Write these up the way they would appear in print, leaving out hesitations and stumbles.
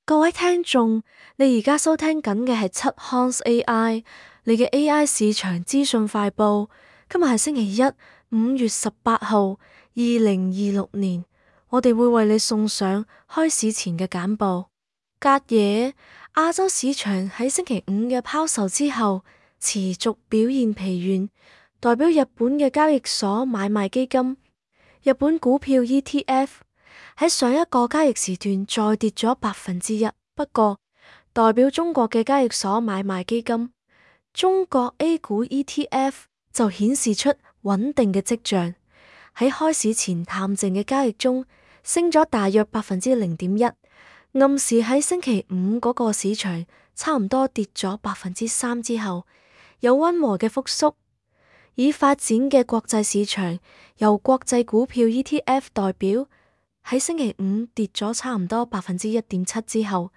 各位聽眾，你而家收聽緊嘅係七 Hans AI，你嘅 AI 市場資訊快報。今日係星期一，5月18號，2026年。我哋會為你送上開市前嘅簡報。隔夜，亞洲市場喺星期五嘅拋售之後，持續表現疲軟。代表日本嘅交易所買賣基金，日本股票 ETF。喺上一個交易時段再跌咗1%，不過代表中國嘅交易所買賣基金，中國 A 股 ETF 就顯示出穩定嘅跡象。喺開市前淡靜嘅交易中，升咗大約0.1%，暗示喺星期五嗰個市場差唔多跌咗3%之後，有溫和嘅復甦。已發展嘅國際市場由國際股票 ETF 代表。喺星期五跌咗差唔多1.7%之後，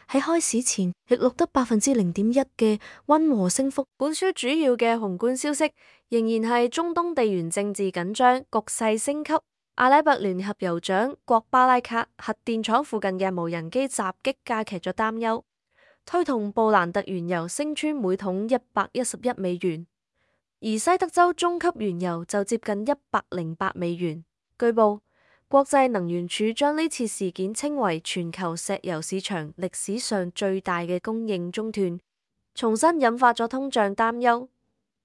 喺開市前亦錄得0.1%嘅溫和升幅。本書主要嘅宏觀消息仍然係中東地緣政治緊張，局勢升級。阿拉伯聯合酋長國巴拉卡核電廠附近嘅無人機襲擊加劇咗擔憂，推動布蘭特原油升穿每桶$111，而西德州中級原油就接近$108。據報，國際能源署將呢次事件稱為全球石油市場歷史上最大嘅供應中斷，重新引發咗通脹擔憂。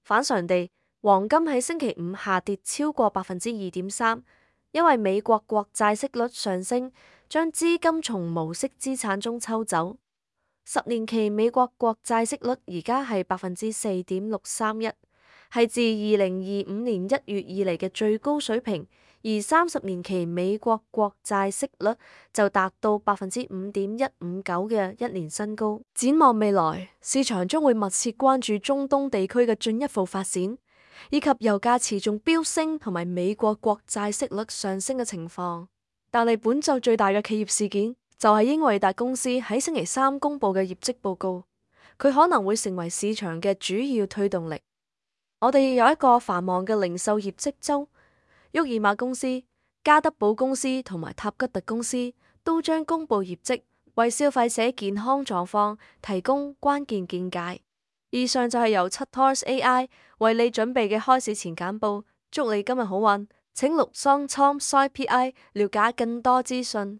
反常地，黃金喺星期五下跌超過2.3%，因為美國國債息率上升，將資金從無息資產中抽走。10年期美國國債息率而家係4.631%，係自2025年1月以嚟嘅最高水平。而30年期美國國債息率就達到5.159%嘅一年新高。展望未來，市場將會密切關注中東地區嘅進一步發展，以及油價持續飆升同埋美國國債息率上升嘅情況。但係本周最大嘅企業事件就係英偉達公司喺星期三公布嘅業績報告，佢可能會成為市場嘅主要推動力。我哋有一個繁忙嘅零售業績周。沃爾瑪公司、加德寶公司同埋塔吉特公司都將公布業績，為消費者健康狀況提供關鍵見解。以上就係由七 Horse AI 為你準備嘅開市前簡報。祝你今日好運，請錄 Song Tom Soi PI 了解更多資訊。